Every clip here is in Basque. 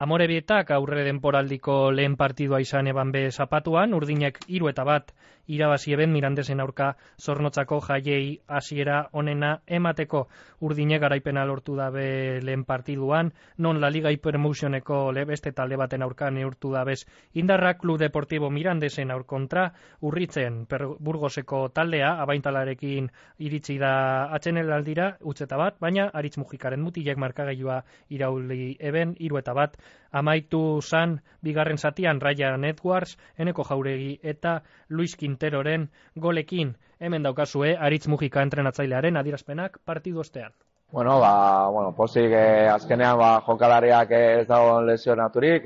Amorebietak aurre denporaldiko lehen partidua izan eban be zapatuan, urdinek 3-1 irabazi eben Mirandesen aurka Zornotzako jaiei hasiera onena emateko. Urdinek garaipena lortu dabe lehen partiduan, non La Liga Hypermotioneko beste talde baten aurka neurtu dabez Indarra Club Deportivo Mirandesen aur kontra, Urritzen Burgoseko taldea abaintalarekin iritsi da atseneldira 1-1, baina Aritz Mujikaren mutilek markagailua irauli eben 3-1. Amaitu zan bigarren zatian Ryan Edwards, Eneko Jauregi eta Luis Quinteroren golekin. Hemen daukazue Aritz Mujika entrenatzailearen adierazpenak partidu ostean. Pozik azkenean jokalariak ez dago lesionaturik,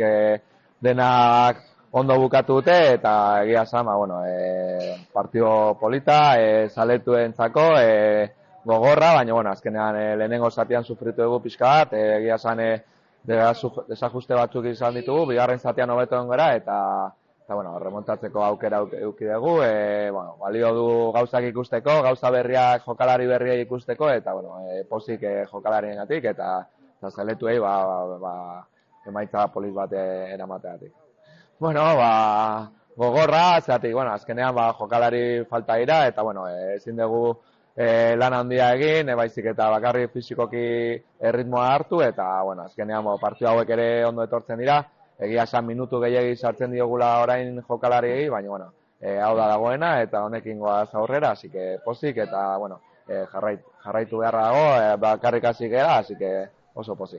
denak ondo bukatu dute eta egia zan, partido polita, zaletuentzako, gogorra, baina azkenean lehenengo zatian sufritu dugu pixka bat, egia zan desajuste batzuk izan ditugu, bigarren zatian hobeto gara eta remontatzeko aukera eduki dugu, balio du gauzak ikusteko, gauza berriak jokalari berriak ikusteko eta pozik jokalariengatik eta zaletuei emaitza polit bat eramateagatik. Gogorra, zeratik, azkenean jokalari falta dira eta ezin dugu lan handia egin, baizik eta bakarrik fizikoki erritmoa hartu eta azkenean partidu hauek ere ondo etortzen dira. Egia esan minutu gehiegi sartzen diogula orain jokalariei, baina hau da dagoena eta honekin goaz aurrera, así que pozik eta jarraitu beharra dago, bakarrik hasi gara, así que oso pozik.